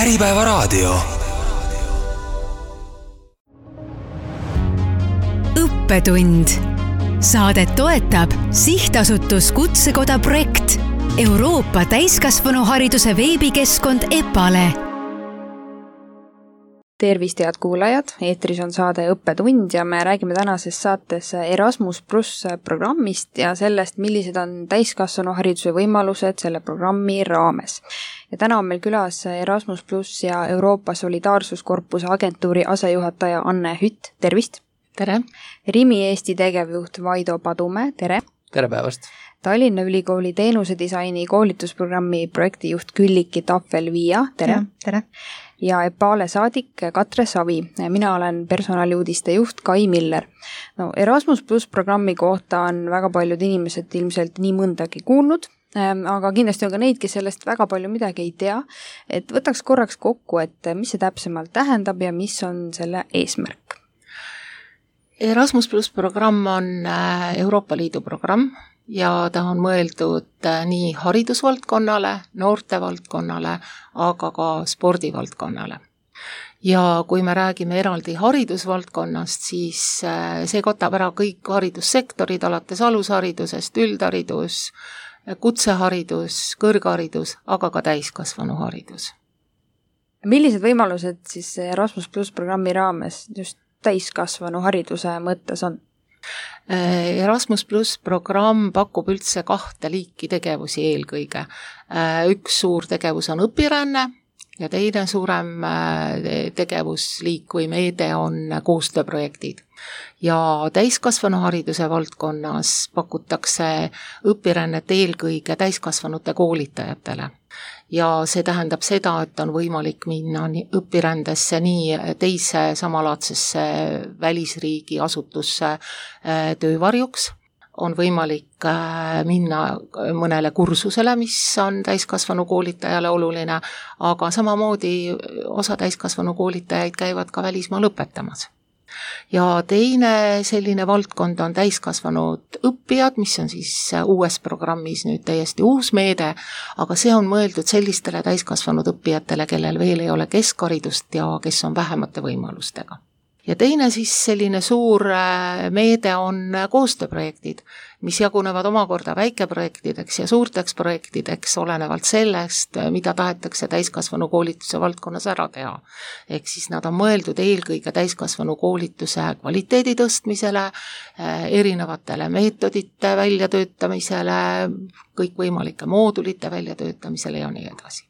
Äripäevaraadio. Õppetund. Saadet toetab Sihtasutus Kutsekoda projekt, Euroopa täiskasvanuhariduse veebikeskkond EPALE. Tervist, head kuulajad, eetris on saade Õppetund ja me räägime tänases saates Erasmus+ programmist ja sellest, millised on täiskasvanuhariduse võimalused selle programmi raames. Ja täna on meil külas Erasmus+ ja Euroopa Solidaarsuskorpuse agentuuri asejuhataja Anne Hütt, tervist! Tere! Rimi Eesti tegevjuht Vaido Padumäe, tere! Tere päevast! Tallinna Ülikooli teenusedisaini koolitusprogrammi projektijuht Külliki Tahvel-Viia, tere! Tere! Ja EPALE saadik Katre Savi. Mina olen personaliuudiste juht Kai Miller. Erasmus+ programmi kohta on väga paljud inimesed ilmselt nii mõndagi kuulnud, aga kindlasti on ka neid, kes sellest väga palju midagi ei tea. Et võtaks korraks kokku, et mis see täpsemalt tähendab ja mis on selle eesmärk? Erasmus+ programm on Euroopa Liidu programm ja ta on mõeldud nii haridusvaldkonnale, noortevaldkonnale, aga ka spordivaldkonnale. Ja kui me räägime eraldi haridusvaldkonnast, siis see katab ära kõik haridussektorid, alates alusharidusest, üldharidus, kutseharidus, kõrgharidus, aga ka täiskasvanuharidus. Millised võimalused siis Erasmus+ programmi raames just täiskasvanuhariduse mõttes on? Erasmus+ programm pakub üldse 2 liiki tegevusi eelkõige. Üks suur tegevus on õpiränne ja teine suurem tegevusliik või meede on koostööprojektid. Ja täiskasvanuhariduse valdkonnas pakutakse õpirännet eelkõige täiskasvanute koolitajatele. Ja see tähendab seda, et on võimalik minna õpirändesse nii teise samalaadsesse välisriigi asutusse töövarjuks. On võimalik minna mõnele kursusele, mis on täiskasvanu koolitajale oluline, aga samamoodi osa täiskasvanu koolitajaid käivad ka välismaal õpetamas. Ja teine selline valdkond on täiskasvanud õppijad, mis on siis uues programmis nüüd täiesti uus meede, aga see on mõeldud sellistele täiskasvanud õppijatele, kellel veel ei ole keskharidust ja kes on vähemate võimalustega. Ja teine siis selline suur meede on koostööprojektid, mis jagunevad omakorda väikeprojektideks ja suurteks projektideks olenevalt sellest, mida tahetakse täiskasvanu koolituse valdkonnas ära teha. Ehk siis nad on mõeldud eelkõige täiskasvanu koolituse kvaliteedi tõstmisele, erinevatele meetodite väljatöötamisele, kõikvõimalike moodulite väljatöötamisele ja nii edasi.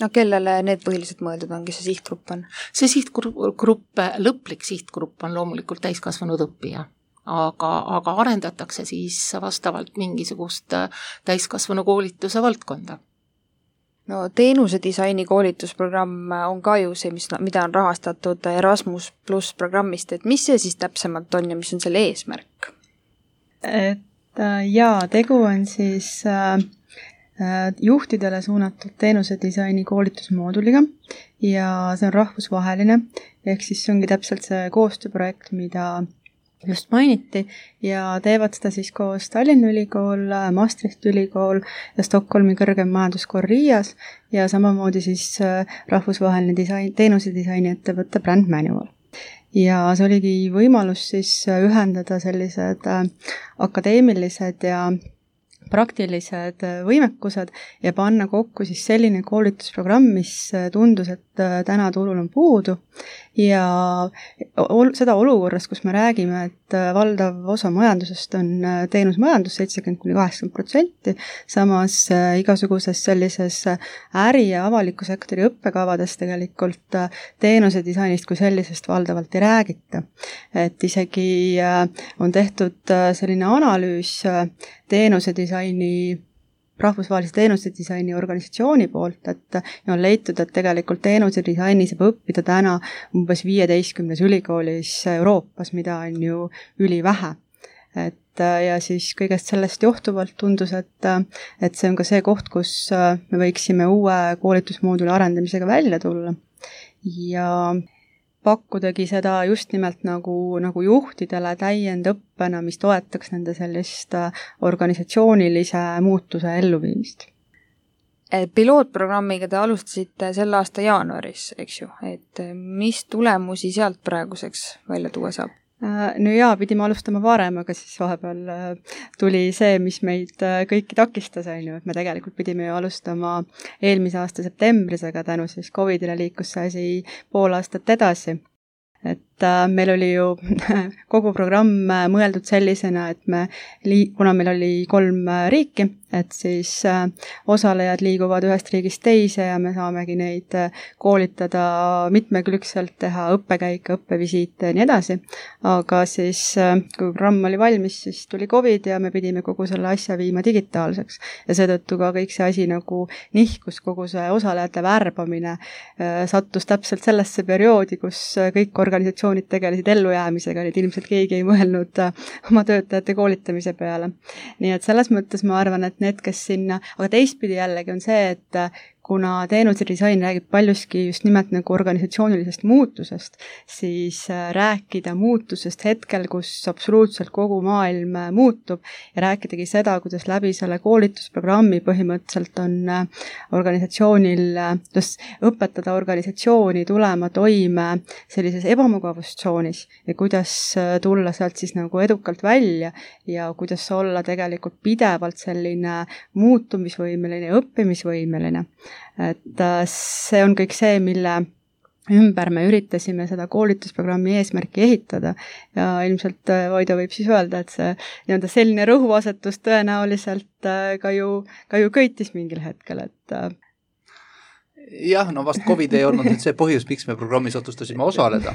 Kellele need põhiliselt mõeldud ongi, see sihtgrupp on? See sihtgrupp, lõplik sihtgrupp on loomulikult täiskasvanud õppija, aga arendatakse siis vastavalt mingisugust täiskasvanu koolituse valdkonda. Teenusedisaini koolitusprogramm on ka ju see, mida on rahastatud Erasmus+ programmist, et mis see siis täpsemalt on ja mis on selle eesmärk? Tegu on siis juhtidele suunatud teenusedisaini koolitusmooduliga ja see on rahvusvaheline, ehk siis see ongi täpselt see koostööprojekt, mida just mainiti ja teevad seda siis koos Tallinna Ülikool, Maastrichti Ülikool ja Stockholmi kõrgem majanduskool Riias ja samamoodi siis rahvusvaheline teenusedisaini ettevõtte Brand Manual. Ja see oligi võimalus siis ühendada sellised akadeemilised ja praktilised võimekused ja panna kokku siis selline koolitusprogramm, mis tundus, et täna turul on puudu ja seda olukorras, kus me räägime, et valdav osa majandusest on teenusmajandus 70–80%, samas igasuguses sellises äri- ja avaliku sektori õppekavades tegelikult teenusedisainist kui sellisest valdavalt ei räägita. Et isegi on tehtud selline analüüs rahvusvahelise teenusedisaini organisatsiooni poolt, et on leitud, et tegelikult teenusedisaini saab õppida täna umbes 15 ülikoolis Euroopas, mida on ju ülivähe. Ja siis kõigest sellest johtuvalt tundus, et see on ka see koht, kus me võiksime uue koolitusmooduli arendamisega välja tulla. Ja pakkudagi seda just nimelt nagu juhtidele täiendõppena, mis toetaks nende sellist organisatsioonilise muutuse elluviimist. Pilootprogrammiga te alustasite selle aasta jaanuaris, eks ju, et mis tulemusi sealt praeguseks välja tuua saab? No jaa, pidime alustama varem, aga siis vahepeal tuli see, mis meid kõiki takistas, et me tegelikult pidime ju alustama eelmise aasta septembris, aga tänu siis COVIDile liikus see asi pool aastat edasi. Et meil oli ju kogu programm mõeldud sellisena, et kuna meil oli 3 riiki, et siis osalejad liiguvad ühest riigist teise ja me saamegi neid koolitada mitmekülgselt, teha õppekäike, õppevisiite ja nii edasi. Aga siis, kui programm oli valmis, siis tuli COVID ja me pidime kogu selle asja viima digitaalseks. Ja seetõttu ka kõik see asi nagu nihkus, kogu see osalejate värbamine sattus täpselt sellesse perioodi, kus kõik organisatsioonid tegelesid ellujäämisega, nii et ilmselt keegi ei mõelnud oma töötajate koolitamise peale. Nii et selles mõttes ma arvan, et need, kes sinna, aga teistpidi jällegi on see, et kuna teenuse disain räägib paljuski just nimelt nagu organisatsioonilisest muutusest, siis rääkida muutusest hetkel, kus absoluutselt kogu maailm muutub ja rääkidagi seda, kuidas läbi selle koolitusprogrammi põhimõtteliselt on organisatsioonil, õpetada organisatsiooni tulema toime sellises ebamugavustsoonis ja kuidas tulla sealt siis nagu edukalt välja ja kuidas olla tegelikult pidevalt selline muutumisvõimeline ja õppimisvõimeline. Et see on kõik see, mille ümber me üritasime seda koolitusprogrammi eesmärki ehitada ja ilmselt Vaido võib siis öelda, et see nii-öelda selline rõhuasetus tõenäoliselt ka ju köitis mingil hetkel, et jah, no vast COVID ei olnud see põhjus, miks me programmis otsustasime osaleda.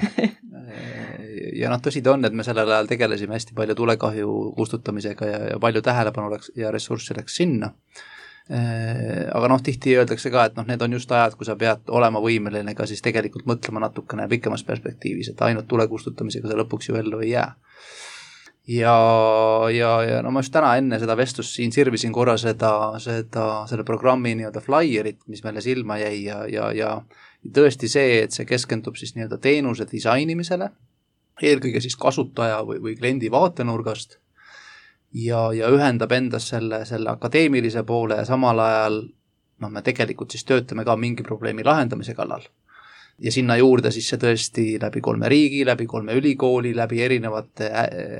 Ja tõsi ta on, et me sellel ajal tegelesime hästi palju tulekahju kustutamisega ja palju tähelepanu ja ressurssi läks sinna. Aga tihti öeldakse ka, et need on just ajad, kui sa pead olema võimeline ka siis tegelikult mõtlema natukene pikemas perspektiivis, et ainult tulekustutamisega sa lõpuks ju ellu ei jää. Ja ma just täna enne seda vestlust siin sirvisin korra selle programmi nii-öelda flyerit, mis meile silma jäi ja tõesti see, et see keskendub siis nii-öelda teenuse disainimisele, eelkõige siis kasutaja või kliendi vaatenurgast ja ühendab endas selle akadeemilise poole ja samal ajal me tegelikult siis töötame ka mingi probleemi lahendamise kallal. Ja sinna juurde siis see tõesti läbi 3 riigi, läbi 3 ülikooli, läbi erinevate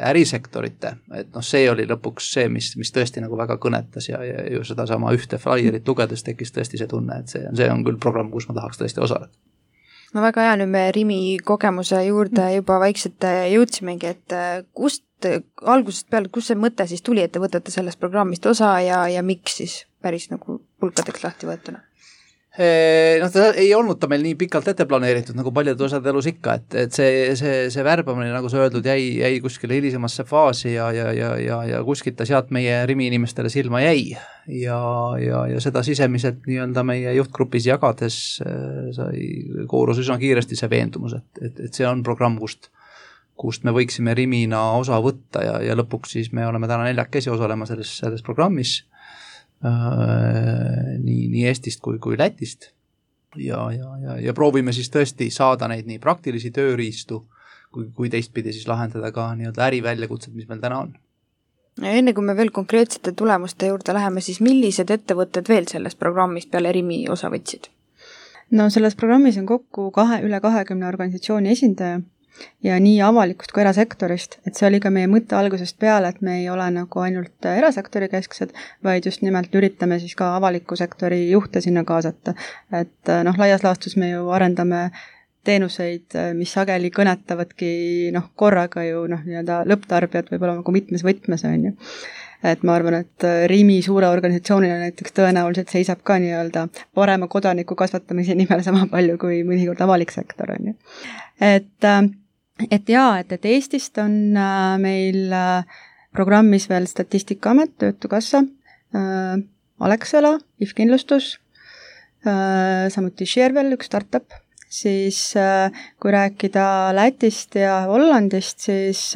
ärisektorite. Et see oli lõpuks see, mis tõesti nagu väga kõnetas ja ju seda sama ühte flyerit lugedes tekkis tõesti see tunne, et see on küll programm, kus ma tahaks tõesti osaleda. No väga hea, nüüd me Rimi kogemuse juurde juba vaikselt jõudsimegi, et kust algusest peale, kus see mõte siis tuli, et te võtate sellest programmist osa ja miks siis päris nagu pulkadeks lahti võetuna? Ta ei olnud ta meil nii pikalt ette planeeritud, nagu paljud osad elus ikka, et see värbamine, nagu sa öeldud, jäi kuskile hilisemasse faasi ja kuskilt ta sealt meie Rimi inimestele silma jäi ja seda sisemiselt nii-öelda meie juhtgrupis jagades sai koorus üsna kiiresti see veendumus, et see on programm, kust me võiksime Rimina osa võtta ja lõpuks siis me oleme täna 4 osalema selles programmis, nii Eestist kui Lätist ja proovime siis tõesti saada neid nii praktilisi tööriistu kui teistpidi siis lahendada ka nii-öelda äriväljakutsed, mis meil täna on. Ja enne kui me veel konkreetsete tulemuste juurde läheme, siis millised ettevõtted veel sellest programmist peale Rimi osa võtsid? No selles programmis on kokku üle 20 organisatsiooni esindaja ja nii avalikust kui erasektorist, et see oli ka meie mõtte algusest peale, et me ei ole nagu ainult erasektori kesksed, vaid just nimelt üritame siis ka avaliku sektori juhte sinna kaasata. Et laias laastus me ju arendame teenuseid, mis sageli kõnetavadki korraga ju nii-öelda lõpptarbijad võib-olla nagu mitmes võtmes on ju. Et ma arvan, et Rimi suure organisatsioonina näiteks tõenäoliselt seisab ka nii-öelda parema kodaniku kasvatamise nimel sama palju kui mõnikord avalik sektor on ju. Et Eestist on meil programmis veel Statistikaamet, Töötukassa, Alexela, IF-kindlustus, samuti Sharewell, üks startup. Siis kui rääkida Lätist ja Hollandist, siis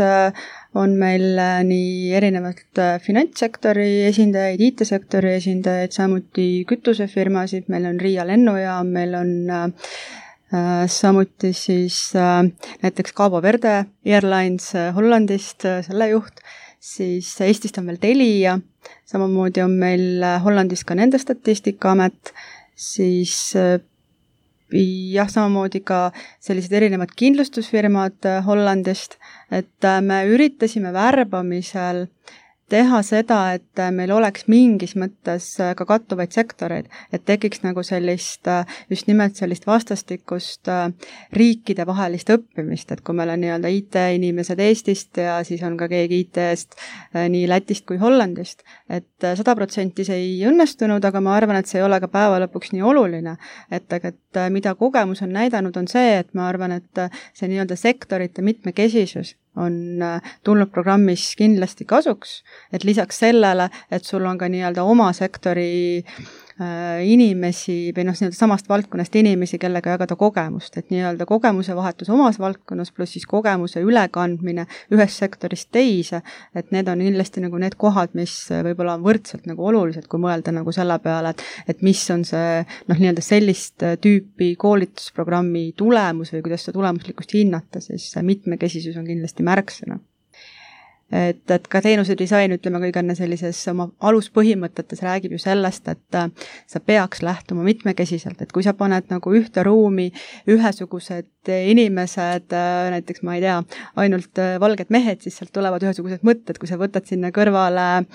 on meil nii erinevalt finantssektori esindajaid, IT-sektori esindajaid, samuti kütusefirmasid, meil on Riia lennujaam, meil on samuti siis näiteks Cabo Verde Airlines Hollandist, selle juht, siis Eestist on veel Telia, samamoodi on meil Hollandis ka nende Statistikaamet, siis jah, samamoodi ka sellised erinevad kindlustusfirmad Hollandist, et me üritasime värbamisel teha seda, et meil oleks mingis mõttes ka kattuvaid sektoreid, et tekiks nagu sellist, just nimelt sellist vastastikust riikide vahelist õppimist, et kui meil on nii-öelda IT-inimesed Eestist ja siis on ka keegi IT-st nii Lätist kui Hollandist, et 100% see ei õnnestunud, aga ma arvan, et see ei ole ka päeva lõpuks nii oluline, et mida kogemus on näidanud, on see, et ma arvan, et see nii-öelda sektorite mitmekesisus on tulnud programmis kindlasti kasuks, et lisaks sellele, et sul on ka nii-öelda oma sektori inimesi või nii-öelda samast valdkonnast inimesi, kellega jagada kogemust, et nii-öelda kogemuse vahetus omas valdkonnas pluss siis kogemuse ülekandmine ühest sektorist teise, et need on kindlasti nagu need kohad, mis võib-olla on võrdselt nagu olulised, kui mõelda nagu selle peale, et mis on see nii-öelda sellist tüüpi koolitusprogrammi tulemus või kuidas seda tulemuslikkust hinnata, siis mitmekesisus on kindlasti märksõna. Et ka teenuse disain, ütleme kõige enne sellises oma aluspõhimõtetes räägib ju sellest, et sa peaks lähtuma mitmekesiselt, et kui sa paned nagu ühte ruumi ühesugused inimesed, näiteks ma ei tea, ainult valged mehed, siis sealt tulevad ühesugused mõtted, kui sa võtad sinna kõrvale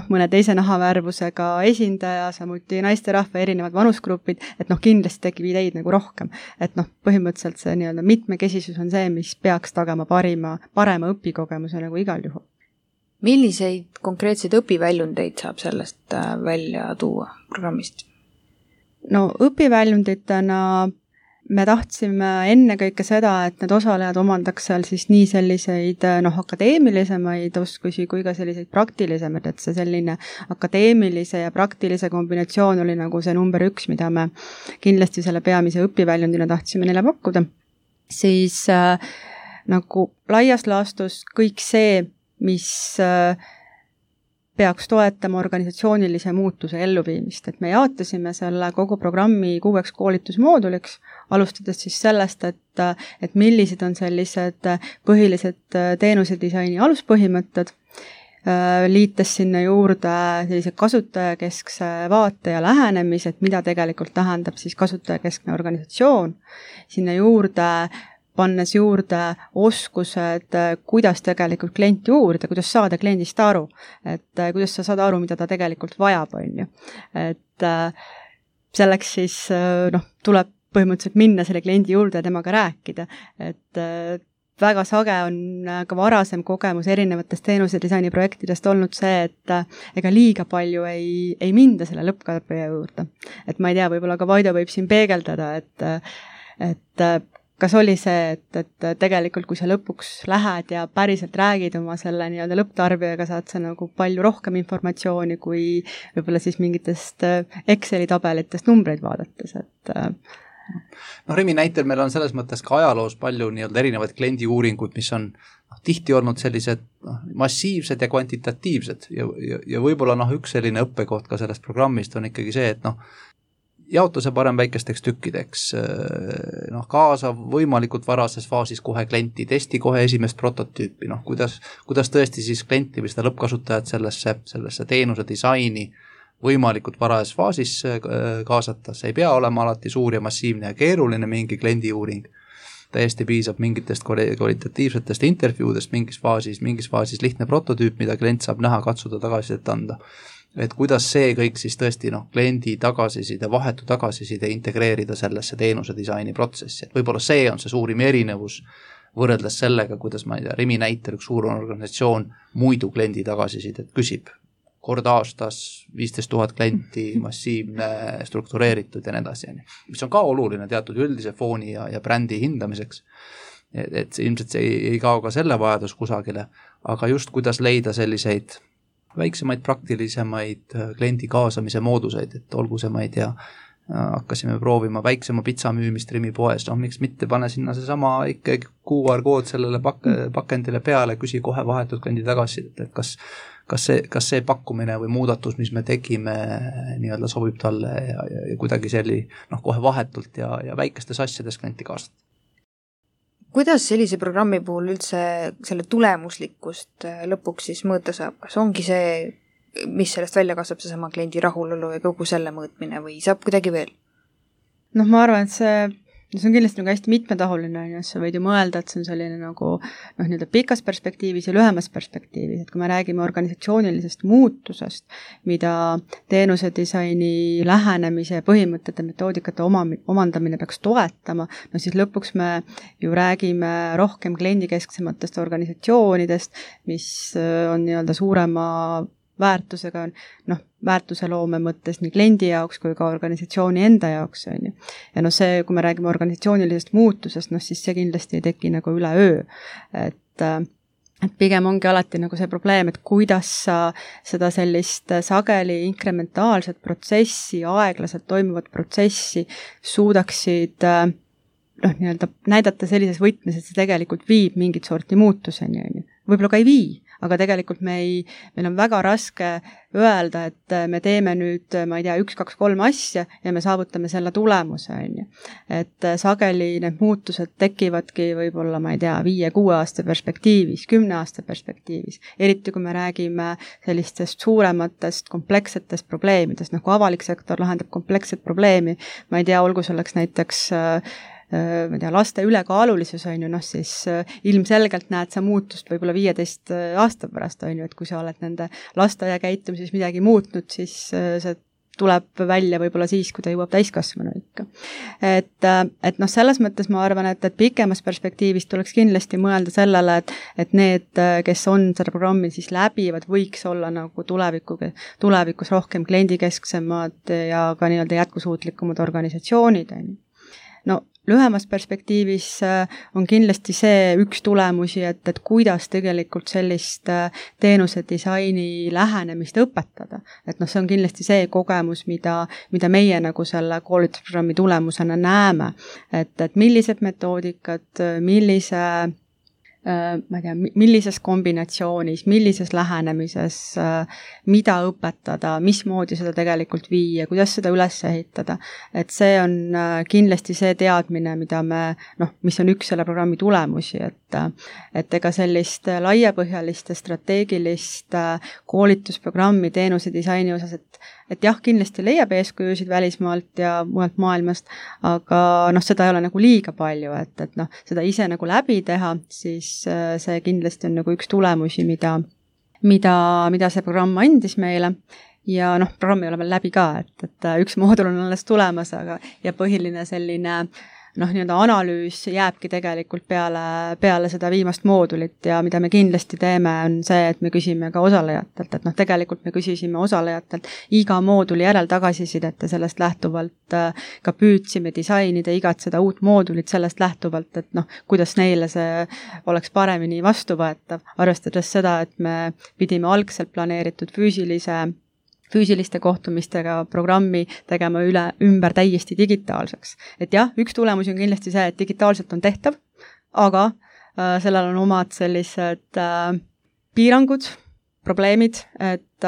mõne teise nahavärvusega esindaja, samuti naisterahva erinevad vanusgrupid, et kindlasti tekib ideid nagu rohkem. Et põhimõtteliselt see nii-öelda mitmekesisus on see, mis peaks tagama parema õpikogemuse nagu igal juhul. Milliseid konkreetseid õpiväljundeid saab sellest välja tuua programmist? Õpiväljunditena me tahtsime ennekõike seda, et need osalejad omandaks seal siis nii selliseid akadeemilisemaid oskusi kui ka selliseid praktilisemaid, et see selline akadeemilise ja praktilise kombinatsioon oli nagu see number 1, mida me kindlasti selle peamise õpiväljundina tahtsime neile pakkuda. Siis nagu laias laastus kõik see, mis peaks toetama organisatsioonilise muutuse elluviimist, et me jaotasime selle kogu programmi 6 koolitusmooduliks, alustades siis sellest, et millised on sellised põhilised teenusedisaini aluspõhimõtted, liites sinna juurde sellise kasutajakeskse vaate ja lähenemise, et mida tegelikult tähendab siis kasutajakeskne organisatsioon, sinna juurde pannes juurde oskused, kuidas tegelikult klienti uurida, kuidas saada kliendist aru, et kuidas sa saad aru, mida ta tegelikult vajab, on ju. Et selleks siis tuleb põhimõtteliselt minna selle kliendi juurde ja temaga rääkida, et väga sage on ka varasem kogemus erinevatest teenusedisaini projektidest olnud see, et ega liiga palju ei minda selle lõpptarbija juurde. Et ma ei tea, võib-olla ka Vaido võib siin peegeldada, et kas oli see, et tegelikult kui sa lõpuks lähed ja päriselt räägid oma selle nii-öelda lõpptarbijaga, saad sa nagu palju rohkem informatsiooni kui võib-olla siis mingitest Exceli tabelitest numbreid vaadates, et Rimi näitel meil on selles mõttes ka ajaloos palju nii-öelda erinevaid kliendiuuringuid, mis on tihti olnud sellised massiivsed ja kvantitatiivsed ja võib-olla üks selline õppekoht ka sellest programmist on ikkagi see, et jaotuse parem väikesteks tükkideks, kaasa võimalikult varases faasis kohe klienti, testi kohe esimest prototüüpi, kuidas tõesti siis klienti või seda lõppkasutajat sellesse teenuse disaini võimalikult varases faasis kaasata, see ei pea olema alati suur ja massiivne ja keeruline mingi kliendiuuring, täiesti piisab mingitest kvalitatiivsetest intervjuudest mingis faasis lihtne prototüüp, mida klient saab näha, katsuda, tagasisidet anda. Et kuidas see kõik siis tõesti kliendi tagasiside, vahetu tagasiside integreerida sellesse teenuse disaini protsessi. Et võib-olla see on see suurim erinevus võrreldes sellega, kuidas ma ei tea, Rimi näitel üks suur organisatsioon muidu kliendi tagasisidet küsib. Kord aastas 15 000 klienti, massiivne, struktureeritud ja nii edasi. Mis on ka oluline teatud üldise fooni ja brändi hindamiseks. Et ilmselt see ei kao ka selle vajadus kusagile, aga just kuidas leida selliseid väiksemaid praktilisemaid kliendi kaasamise mooduseid, et olgu see, ma ei tea, hakkasime proovima väiksema pitsa müümist Rimi poes, miks mitte pane sinna seesama ikkagi QR-kood sellele pakendile peale, küsi kohe vahetud kliendi tagasi, et kas see pakkumine või muudatus, mis me tegime, nii-öelda sobib talle ja kuidagi kohe vahetult ja väikestes asjades klienti kaasata. kuidas sellise programmi puhul üldse selle tulemuslikkust lõpuks siis mõõta saab? Kas ongi see, mis sellest välja kasvab, seesama kliendi rahulolu ja kogu selle mõõtmine või saab kuidagi veel? Ma arvan, et see on kindlasti nagu hästi mitmetahuline, sa võid ju mõelda, et see on selline nagu nii-öelda pikas perspektiivis ja lühemas perspektiivis, et kui me räägime organisatsioonilisest muutusest, mida teenusedisaini lähenemise põhimõtete, metoodikate omandamine peaks toetama, siis lõpuks me ju räägime rohkem kliendikesksematest organisatsioonidest, mis on nii-öelda suurema väärtusega, väärtuseloome mõttes nii kliendi jaoks kui ka organisatsiooni enda jaoks, on ju. Ja see, kui me räägime organisatsioonilisest muutusest, siis see kindlasti ei teki nagu üleöö. Et pigem ongi alati nagu see probleem, et kuidas sa seda sellist sageli inkrementaalset protsessi, aeglaselt toimuvat protsessi suudaksid nii-öelda näidata sellises võtmes, et see tegelikult viib mingit sorti muutuseni, on ju. Võib-olla ka ei vii, aga tegelikult meil on väga raske öelda, et me teeme nüüd, 1, 2, 3 asja ja me saavutame selle tulemuse, on ju. Et sageli need muutused tekivadki võib-olla, 5-6 aasta perspektiivis, 10 aasta perspektiivis. Eriti kui me räägime sellistest suurematest komplekssetest probleemidest, kui avalik sektor lahendab kompleksset probleemi, olgu selleks näiteks laste ülekaalulisus, on ju, siis ilmselgelt näed sa muutust võib-olla 15 aasta pärast, on ju, et kui sa oled nende lasteaia käitumises midagi muutnud, siis see tuleb välja võib-olla siis, kui ta jõuab täiskasvanu ikka. Et selles mõttes ma arvan, et pikemas perspektiivis tuleks kindlasti mõelda sellele, et need, kes on seda programmi siis läbivad, võiks olla nagu tulevikus rohkem kliendikesksemad ja ka nii-öelda jätkusuutlikumad organisatsioonid, on ju. Lühemas perspektiivis on kindlasti see üks tulemusi, et kuidas tegelikult sellist teenusedisaini lähenemist õpetada. Et see on kindlasti see kogemus, mida meie nagu selle koolitusprogrammi tulemusena näeme. Et millised metoodikad, millises kombinatsioonis, millises lähenemises, mida õpetada, mismoodi seda tegelikult viia, kuidas seda üles ehitada. Et see on kindlasti see teadmine, mida mis on üks selle programmi tulemusi, et ega sellist laiapõhjalist strateegilist koolitusprogrammi teenusedisaini osas, et jah, kindlasti leiab eeskujusid välismaalt ja mujalt maailmast, aga seda ei ole nagu liiga palju, et seda ise nagu läbi teha, siis see kindlasti on nagu üks tulemusi, mida see programm andis meile ja programm ei ole veel läbi ka, et üks moodul on alles tulemas, ja põhiline selline nii-öelda analüüs jääbki tegelikult peale seda viimast moodulit ja mida me kindlasti teeme, on see, et me küsime ka osalejatelt, et tegelikult me küsisime osalejatelt iga mooduli järel tagasisidet ja sellest lähtuvalt ka püüdsime disainida igat seda uut moodulit sellest lähtuvalt, et kuidas neile see oleks paremini vastuvõetav, arvestades seda, et me pidime algselt planeeritud füüsiliste kohtumistega programmi tegema ümber täiesti digitaalseks. Et jah, üks tulemus on kindlasti see, et digitaalselt on tehtav, aga sellel on omad sellised piirangud, probleemid, et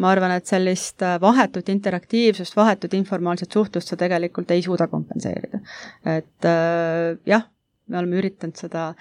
ma arvan, et sellist vahetut interaktiivsust, vahetut informaalset suhtlust sa tegelikult ei suuda kompenseerida. Et jah, me oleme üritanud seda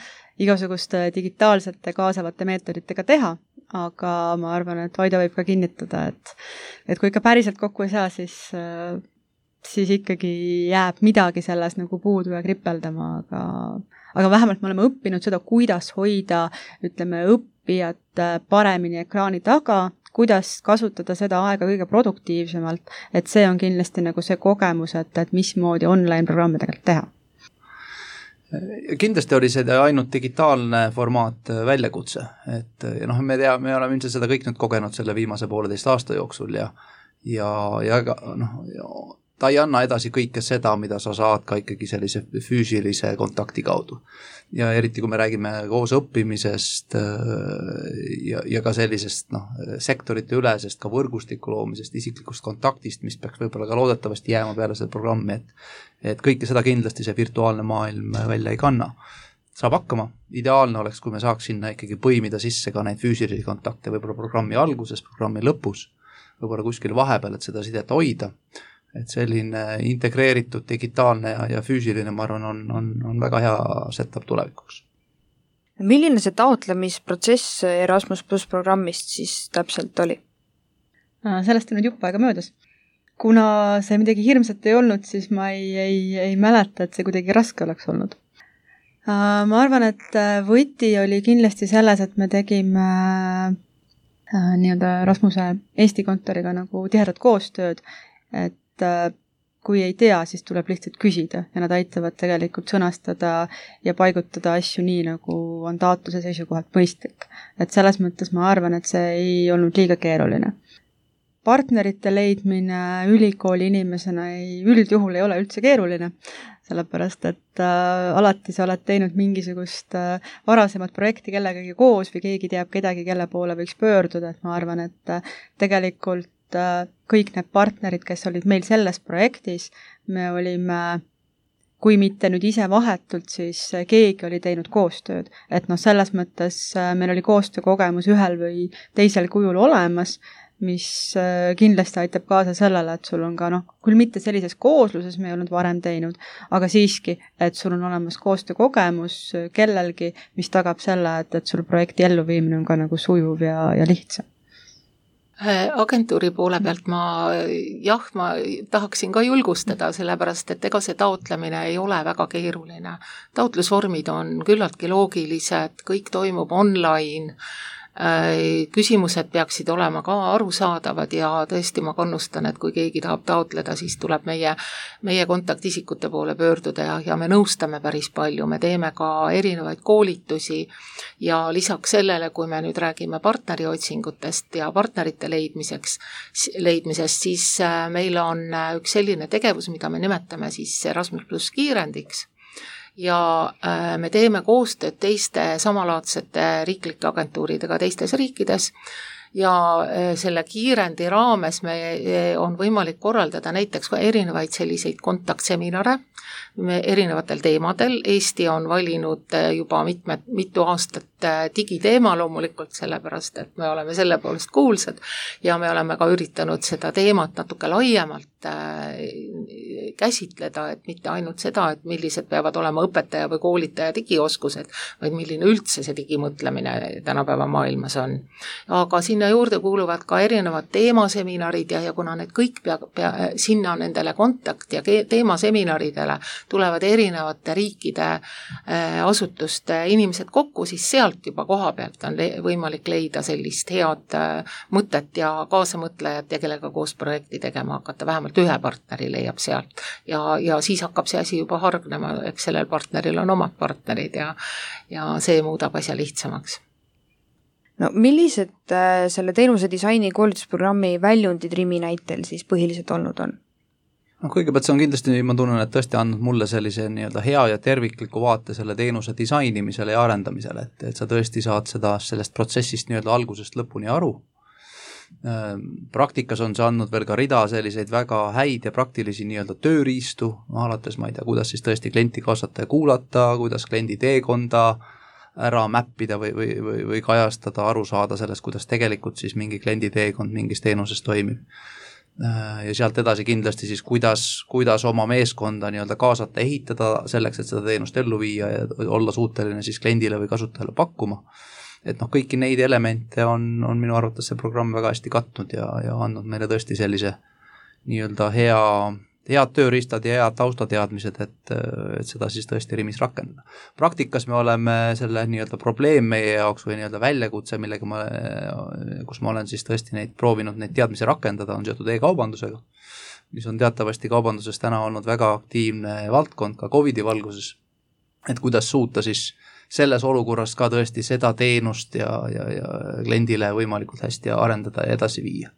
igasuguste digitaalsete kaasavate meetoditega teha, aga ma arvan, et Vaido võib ka kinnitada, et kui ikka päriselt kokku ei saa, siis ikkagi jääb midagi selles nagu puudu ja kripeldama, aga vähemalt me oleme õppinud seda, kuidas hoida, õppijat paremini ekraani taga, kuidas kasutada seda aega kõige produktiivsemalt, et see on kindlasti nagu see kogemus, et mismoodi online-programme tegelikult teha. Kindlasti oli see ainult digitaalne formaat väljakutse, et me oleme ilmselt seda kõik nüüd kogenud selle viimase 1,5 aasta jooksul ja ta ei anna edasi kõike seda, mida sa saad ka ikkagi sellise füüsilise kontakti kaudu. Ja eriti, kui me räägime koos õppimisest ja ka sellisest sektorite ülesest, ka võrgustiku loomisest, isiklikust kontaktist, mis peaks võib-olla ka loodetavasti jääma peale seda programmi, et kõike seda kindlasti see virtuaalne maailm välja ei kanna. Saab hakkama. Ideaalne oleks, kui me saaks sinna ikkagi põimida sisse ka neid füüsilisi kontakte, võib-olla programmi alguses, programmi lõpus, võib-olla kuskil vahepeal, et seda sidet hoida. et selline integreeritud digitaalne ja füüsiline, ma arvan, on väga hea setup tulevikuks. Milline see taotlemisprotsess Erasmus Plus programmist siis täpselt oli? Sellest on nüüd jupp aega möödas. Kuna see midagi hirmsat ei olnud, siis ma ei mäleta, et see kuidagi raske oleks olnud. Ma arvan, et võti oli kindlasti selles, et me tegime nii-öelda Rasmuse Eesti kontoriga nagu tihedat koostööd, et kui ei tea, siis tuleb lihtsalt küsida ja nad aitavad tegelikult sõnastada ja paigutada asju nii, nagu on taotluse seisukohalt mõistlik. Et selles mõttes ma arvan, et see ei olnud liiga keeruline. Partnerite leidmine ülikooli inimesena üldjuhul ei ole üldse keeruline, sellepärast, et alati sa oled teinud mingisugust varasemat projekti kellegagi koos või keegi teab kedagi, kelle poole võiks pöörduda, et ma arvan, et tegelikult kõik need partnerid, kes olid meil selles projektis, me olime, kui mitte nüüd ise vahetult, siis keegi oli teinud koostööd. Et selles mõttes meil oli koostöökogemus ühel või teisel kujul olemas, mis kindlasti aitab kaasa sellele, et sul on ka küll mitte sellises koosluses me ei olnud varem teinud, aga siiski, et sul on olemas koostöökogemus kellelgi, mis tagab selle, et sul projekti elluviimine on ka nagu sujuv ja lihtsam. Agentuuri poole pealt ma tahaksin ka julgustada, sellepärast, et ega see taotlemine ei ole väga keeruline. Taotlusvormid on küllaltki loogilised, kõik toimub online, küsimused peaksid olema ka arusaadavad ja tõesti ma kannustan, et kui keegi tahab taotleda, siis tuleb meie kontaktisikute poole pöörduda ja me nõustame päris palju, me teeme ka erinevaid koolitusi ja lisaks sellele, kui me nüüd räägime partneriotsingutest ja partnerite leidmisest, siis meil on üks selline tegevus, mida me nimetame siis Erasmus Plus kiirendiks. Ja me teeme koostööd teiste samalaadsete riiklike agentuuridega teistes riikides ja selle kiirendi raames on võimalik korraldada näiteks erinevaid selliseid kontaktseminare erinevatel teemadel. Eesti on valinud juba mitu aastat digiteema loomulikult, sellepärast, et me oleme selle poolest kuulsad ja me oleme ka üritanud seda teemat natuke laiemalt käsitleda, et mitte ainult seda, et millised peavad olema õpetaja või koolitaja digioskused, vaid milline üldse see digimõtlemine tänapäeva maailmas on. Aga sinna juurde kuuluvad ka erinevad teemaseminarid ja kuna need kõik sinna nendele kontakt- ja teemasemiнаridele tulevad erinevate riikide asutuste inimesed kokku, siis sealt juba koha pealt on võimalik leida sellist head mõtet ja kaasamõtlejat ja kellega koos projekti tegema hakata, vähemalt ühe partneri leiab sealt ja siis hakkab see asi juba hargnema, eks sellel partneril on omad partnerid ja see muudab asja lihtsamaks. No millised selle teenuse disaini koolitusprogrammi väljundid Rimi näitel siis põhiliselt olnud on? Kõigepealt see on kindlasti, ma tunnen, et tõesti andnud mulle sellise nii-öelda hea ja tervikliku vaate selle teenuse disainimisele ja arendamisele, et sa tõesti saad sellest protsessist nii-öelda algusest lõpuni aru. Praktikas on see andnud veel ka rida selliseid väga häid ja praktilisi nii-öelda tööriistu, alates ma ei tea, kuidas siis tõesti klienti kaasata ja kuulata, kuidas kliendi teekonda ära mäppida või kajastada, aru saada sellest, kuidas tegelikult siis mingi kliendi teekond mingis teenuses toimib. Ja sealt edasi kindlasti siis, kuidas oma meeskonda nii-öelda kaasata, ehitada selleks, et seda teenust ellu viia ja olla suuteline siis kliendile või kasutajale pakkuma. Et kõiki neid elemente on minu arvates see programm väga hästi katnud ja andnud meile tõesti sellise nii-öelda head tööriistad ja head taustateadmised, et seda siis tõesti Rimis rakendada. Praktikas me oleme selle nii-öelda probleem meie jaoks või nii-öelda väljakutse, kus ma olen siis tõesti proovinud neid teadmisi rakendada, on seotud e-kaubandusega, mis on teatavasti kaubanduses täna olnud väga aktiivne valdkond ka COVID-i valguses, et kuidas suuta siis selles olukorras ka tõesti seda teenust ja kliendile võimalikult hästi arendada ja edasi viia.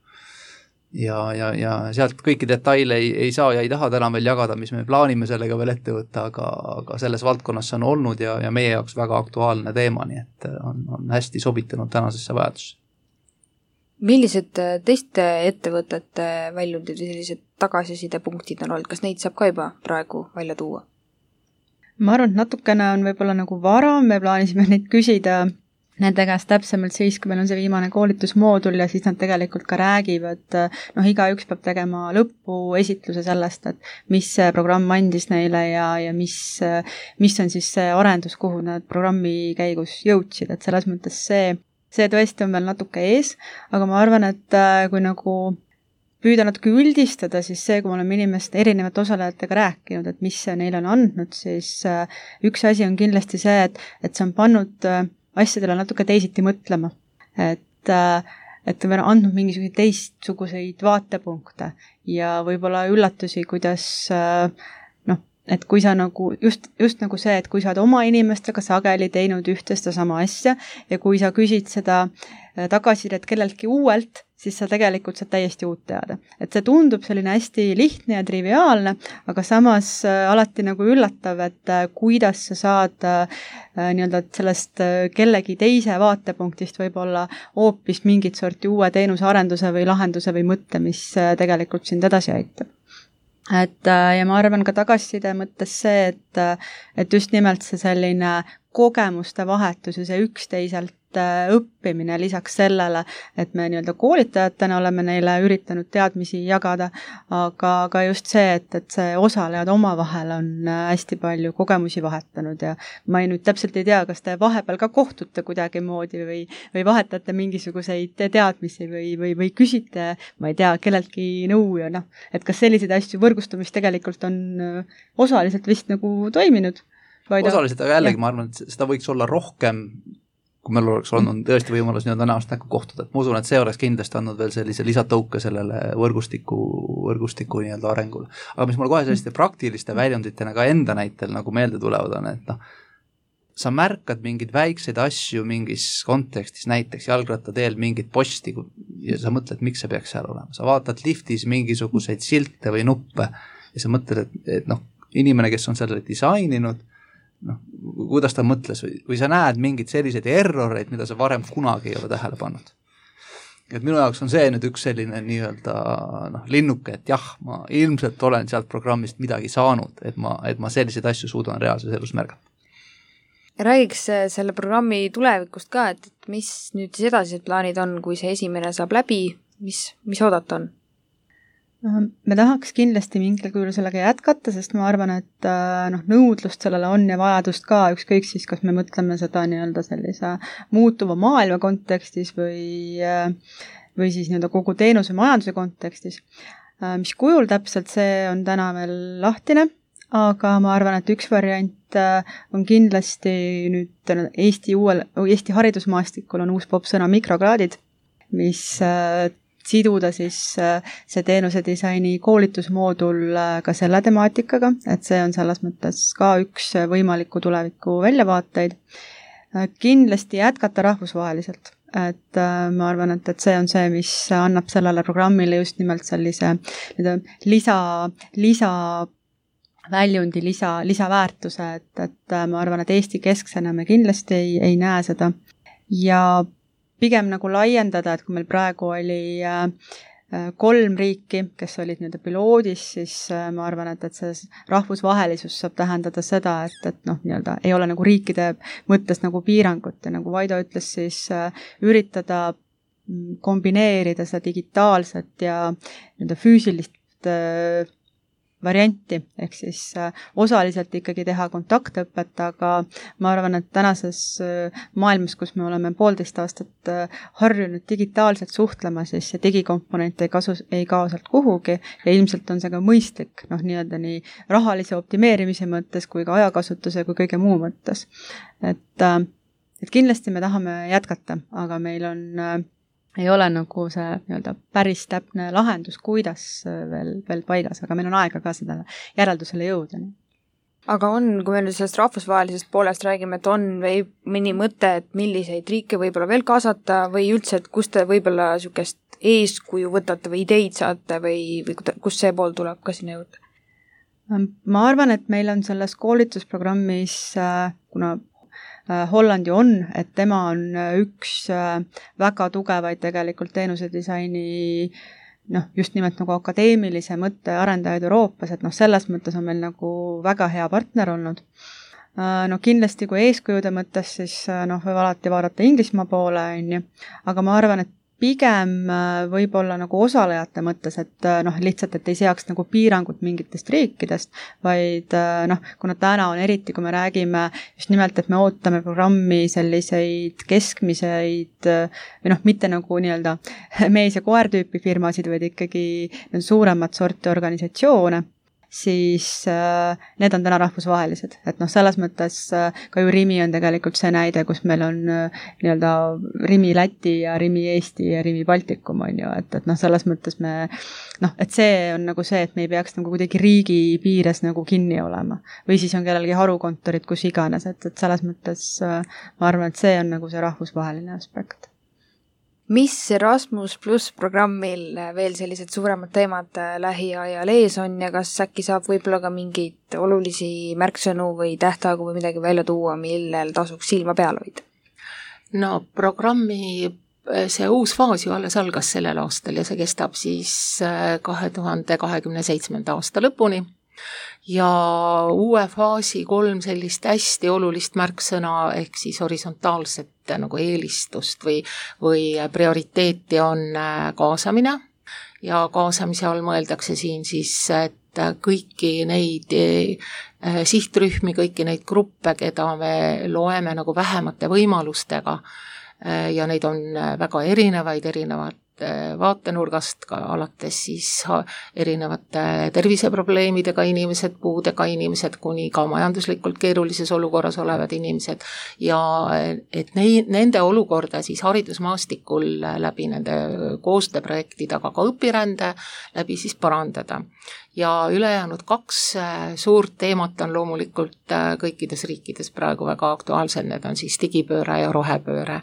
Ja sealt kõiki detaile ei saa ja ei taha täna veel jagada, mis me plaanime sellega veel ette võtta, aga selles valdkonnas see on olnud ja meie jaoks väga aktuaalne teema, nii et on hästi sobitanud tänasesse vajadusse. Millised teiste ettevõtete väljundid või sellised tagasisidepunktid on olnud, kas neid saab ka juba praegu välja tuua? Ma arvan, et natukene on võib-olla nagu vara, me plaanisime neid küsida nende käest täpsemalt siis, kui meil on see viimane koolitusmoodul ja siis nad tegelikult ka räägivad, igaüks peab tegema lõpuesitluse sellest, et mis see programm andis neile ja mis on siis see arendus, kuhu nad programmi käigus jõudsid, et selles mõttes see tõesti on veel natuke ees, aga ma arvan, et kui nagu püüda natuke üldistada, siis see, kui me oleme erinevate osalejatega rääkinud, et mis see neile on andnud, siis üks asi on kindlasti see, et see on pannud asjadele natuke teisiti mõtlema. Et on andnud mingisuguseid teistsuguseid vaatepunkte ja võib-olla üllatusi, kuidas et kui sa nagu, just nagu see, et kui sa oled oma inimestega sageli teinud ühte seda sama asja ja kui sa küsid seda tagasisidet kelleltki uuelt, siis sa tegelikult saad täiesti uut teada. Et see tundub selline hästi lihtne ja triviaalne, aga samas alati nagu üllatav, et kuidas sa saad nii-öelda sellest kellegi teise vaatepunktist võib-olla hoopis mingit sorti uue teenuse arenduse või lahenduse või mõtte, mis tegelikult sind edasi aitab. Ja ma arvan ka tagasiside mõttes see, et just nimelt see selline kogemuste vahetus ja see üksteiselt õppimine lisaks sellele, et me nii-öelda koolitajatena oleme neile üritanud teadmisi jagada, aga just see, et see osalejad omavahel on hästi palju kogemusi vahetanud ja ma nüüd täpselt ei tea, kas te vahepeal ka kohtute kuidagi moodi või vahetate mingisuguseid teadmisi või küsite, ma ei tea, kelleltki nõu ja et kas selliseid asju võrgustumist tegelikult on osaliselt vist nagu toiminud? Osaliselt, aga jällegi ma arvan, et seda võiks olla rohkem, kui meil oleks olnud tõesti võimalus nii-öelda näost näkku kohtuda. Ma usun, et see oleks kindlasti andnud veel sellise lisatõuke sellele võrgustiku nii-öelda arengule. Aga mis mul kohe selliste praktiliste väljunditena ka enda näitel nagu meelde tulevad on, et sa märkad mingeid väikseid asju mingis kontekstis, näiteks jalgrattateel mingit posti ja sa mõtled, miks see peaks seal olema. Sa vaatad liftis mingisuguseid silte või nuppe ja sa mõtled, et inimene, kes on selle disaininud, kuidas ta mõtles või sa näed mingeid selliseid erroreid, mida sa varem kunagi ei ole tähele pannud. Et minu jaoks on see nüüd üks selline nii-öelda linnuke, et jah, ma ilmselt olen sealt programmist midagi saanud, et ma selliseid asju suudan reaalses elus märgata. Räägiks selle programmi tulevikust ka, et mis nüüd siis edasised plaanid on, kui see esimene saab läbi, mis oodata on? Me tahaks kindlasti mingil kujul sellega jätkata, sest ma arvan, et nõudlust sellele on ja vajadust ka, ükskõik siis, kas me mõtleme seda nii-öelda sellise muutuva maailma kontekstis või siis nii-öelda kogu teenuse majanduse kontekstis. Mis kujul täpselt, see on täna veel lahtine, aga ma arvan, et üks variant on kindlasti nüüd Eesti haridusmaastikul on uus popsõna mikrokraadid, mis siduda siis see teenuse disaini koolitusmoodul ka selle temaatikaga, et see on selles mõttes ka üks võimaliku tuleviku väljavaateid. Kindlasti jätkata rahvusvaheliselt, et ma arvan, et see on see, mis annab sellele programmile just nimelt sellise väljundi, lisaväärtuse, et ma arvan, et Eesti kesksena me kindlasti ei näe seda ja pigem nagu laiendada, et kui meil praegu oli 3 riiki, kes olid nii-öelda piloodis, siis ma arvan, et see rahvusvahelisus saab tähendada seda, et nii-öelda ei ole nagu riikide mõttes nagu piirangut ja nagu Vaido ütles, siis üritada kombineerida seda digitaalset ja nii-öelda füüsilist varianti, ehk siis osaliselt ikkagi teha kontaktõpet, aga ma arvan, et tänases maailmas, kus me oleme 1,5 aastat harjunud digitaalselt suhtlema, siis see digikomponent ei kao sealt kuhugi ja ilmselt on see ka mõistlik, nii-öelda nii rahalise optimeerimise mõttes kui ka ajakasutuse kui kõige muu mõttes. Et kindlasti me tahame jätkata, aga meil ei ole nagu see nii-öelda päris täpne lahendus, kuidas veel paigas, aga meil on aega ka seda järeldusele jõuda. Aga kui me nüüd sellest rahvusvahelisest poolest räägime, et on või mõni mõte, et milliseid riike võib-olla veel kaasata või üldse, et kus te võib-olla niisugust eeskuju võtate või ideid saate või kus see pool tuleb ka sinna juurde? Ma arvan, et meil on selles koolitusprogrammis, kuna Holland ju on, et tema on üks väga tugevaid tegelikult teenuse disaini just nimelt nagu akadeemilise mõtte arendajaid Euroopas, et selles mõttes on meil nagu väga hea partner olnud. No kindlasti kui eeskujude mõttes, siis võib alati vaadata Inglismaa poole, on ju, aga ma arvan, et pigem võib-olla nagu osalejate mõttes, et lihtsalt, et ei seaks nagu piirangut mingitest riikidest, vaid kuna täna on eriti, kui me räägime just nimelt, et me ootame programmi selliseid keskmiseid või mitte nagu nii-öelda mees- ja koer-tüüpi firmasid, vaid ikkagi suuremat sorti organisatsioone, siis need on täna rahvusvahelised. Et selles mõttes ka ju Rimi on tegelikult see näide, kus meil on nii-öelda Rimi Läti ja Rimi Eesti ja Rimi Baltikum on ju, et selles mõttes me, et see on nagu see, et me ei peaks nagu kuidagi riigi piires nagu kinni olema. Või siis on kellelgi harukontorid, kus iganes, et selles mõttes ma arvan, et see on nagu see rahvusvaheline aspekt. Mis Erasmus Plus programmil veel sellised suuremad teemad lähiajal ees on ja kas äkki saab võib-olla ka mingeid olulisi märksõnu või tähtaegu või midagi välja tuua, millel tasuks silma peal hoida? No programmi see uus faas ju alles algas sellel aastal ja see kestab siis 2027. aasta lõpuni. Ja uue faasi 3 sellist hästi olulist märksõna ehk siis horisontaalset nagu eelistust või prioriteeti on kaasamine ja kaasamise all mõeldakse siin siis, et kõiki neid sihtrühmi, kõiki neid gruppe, keda me loeme nagu vähemate võimalustega ja neid on väga erinevad vaatenurgast ka alates siis erinevate terviseprobleemidega inimesed, puudega inimesed, kuni ka majanduslikult keerulises olukorras olevad inimesed ja et nende olukorda siis haridusmaastikul läbi nende koostööprojektid, aga ka õpirände läbi siis parandada. Ja ülejäänud 2 suurt teemat on loomulikult kõikides riikides praegu väga aktuaalsed, need on siis digipööre ja rohepööre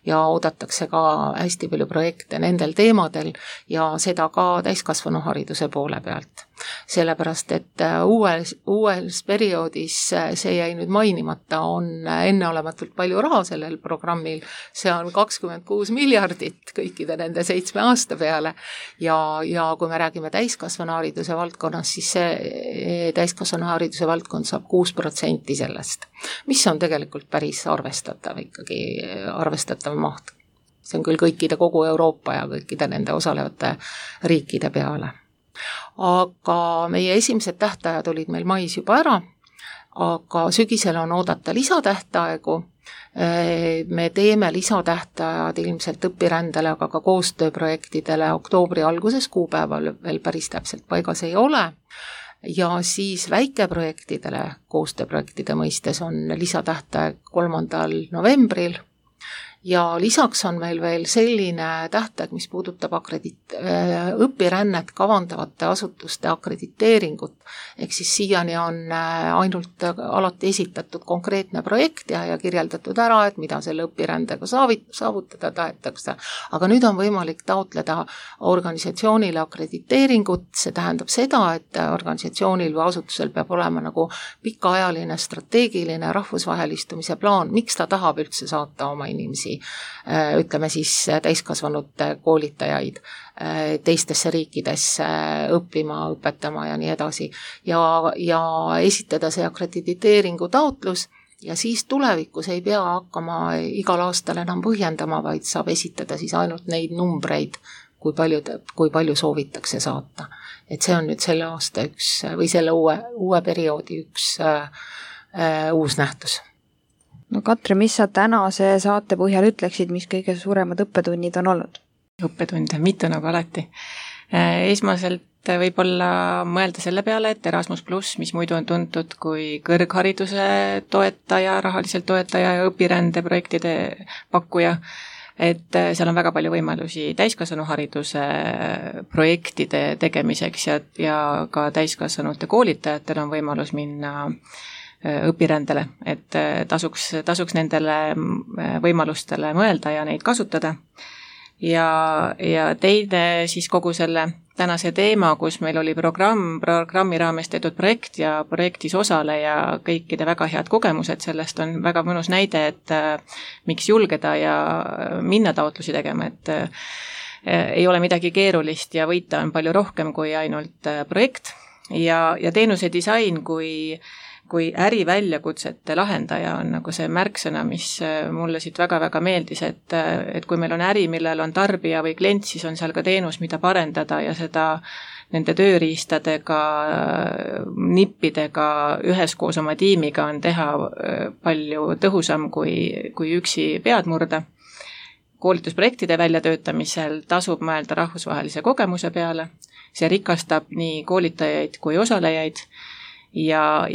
ja oodatakse ka hästi palju projekte nendel teemadel ja seda ka täiskasvanuhariduse poole pealt. Sellepärast, et uues perioodis see jäi nüüd mainimata, on enneolematult palju raha sellel programmil, see on 26 miljardit kõikide nende 7 aasta peale ja kui me räägime täiskasvanuhariduse valdkonnas, siis see täiskasvanuhariduse valdkond saab 6% sellest, mis on tegelikult päris arvestatav ikkagi, arvestatav maht. See on küll kõikide kogu Euroopa ja kõikide nende osalevate riikide peale. Aga meie esimesed tähtajad olid meil mais juba ära, aga sügisel on oodata lisatähtaegu. Me teeme lisatähtajad ilmselt õpirändele, aga ka koostööprojektidele oktoobri alguses, kuupäeval veel päris täpselt paigas ei ole. Ja siis väikeprojektidele, koostööprojektide mõistes on lisatähtaeg 3. novembril. Ja lisaks on meil veel selline tähtaeg, mis puudutab õpirännet kavandavate asutuste akrediteeringut, ehk siis siiani on ainult alati esitatud konkreetne projekt ja kirjeldatud ära, et mida selle õpirändega saavutada tahetakse. Aga nüüd on võimalik taotleda organisatsioonile akrediteeringut, see tähendab seda, et organisatsioonil või asutusel peab olema nagu pikaajaline strateegiline rahvusvahelistumise plaan, miks ta tahab üldse saata oma inimesi, ütleme siis täiskasvanute koolitajaid teistesse riikidesse õppima, õpetama ja nii edasi. Ja esitada see akrediteeringu taotlus ja siis tulevikus ei pea hakkama igal aastal enam põhjendama, vaid saab esitada siis ainult neid numbreid, kui palju soovitakse saata. Et see on nüüd selle aasta või selle uue perioodi üks uus nähtus. No Katre, mis sa tänase saate põhjal ütleksid, mis kõige suuremad õppetunnid on olnud? Õppetunde, mitu nagu alati. Esmaselt võib-olla mõelda selle peale, et Erasmus Plus, mis muidu on tuntud kui kõrghariduse toetaja, rahaliselt toetaja ja õpirändeprojektide pakkuja, et seal on väga palju võimalusi täiskasvanuhariduse projektide tegemiseks ja ka täiskasvanute koolitajatel on võimalus minna õpirändele, et tasuks nendele võimalustele mõelda ja neid kasutada. Ja teine siis kogu selle tänase teema, kus meil oli programmi raames tehtud projekt ja projektis osaleja kõikide väga head kogemused, sellest on väga mõnus näide, et miks julgeda ja minna taotlusi tegema, et ei ole midagi keerulist ja võita on palju rohkem kui ainult projekt ja teenuse disain kui kui äriväljakutsete lahendaja on nagu see märksõna, mis mulle siit väga-väga meeldis, et kui meil on äri, millel on tarbija või klient, siis on seal ka teenus, mida parendada ja seda nende tööriistadega, nippidega, üheskoos oma tiimiga on teha palju tõhusam kui üksi pead murda. Koolitusprojektide väljatöötamisel tasub mõelda rahvusvahelise kogemuse peale, see rikastab nii koolitajaid kui osalejaid ja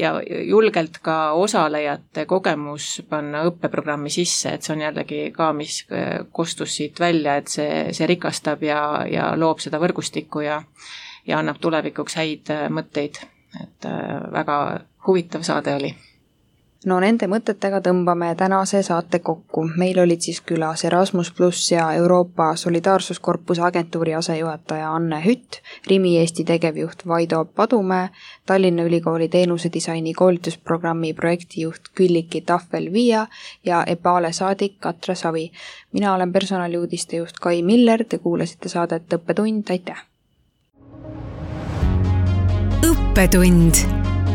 julgelt ka osalejate kogemus panna õppeprogrammi sisse, et see on jällegi ka, mis kostus siit välja, et see rikastab ja loob seda võrgustikku ja annab tulevikuks häid mõtteid, et väga huvitav saade oli. No nende mõtetega tõmbame tänase saate kokku. Meil olid siis külas Erasmus Plus ja Euroopa Solidaarsuskorpuse agentuuri asejuhataja Anne Hütt, Rimi Eesti tegevjuht Vaido Padumäe, Tallinna Ülikooli teenusedisaini koolitusprogrammi projektijuht Külliki Tahvel-Viia ja EPALE saadik Katre Savi. Mina olen personaliuudiste juht Kai Miller, te kuulasite saadet Õppetund, aitäh! Õppetund.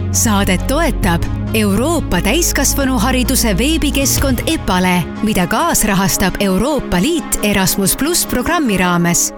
Saadet toetab Euroopa täiskasvanuhariduse veebikeskkond EPALE, mida kaasrahastab Euroopa Liit Erasmus Plus programmi raames.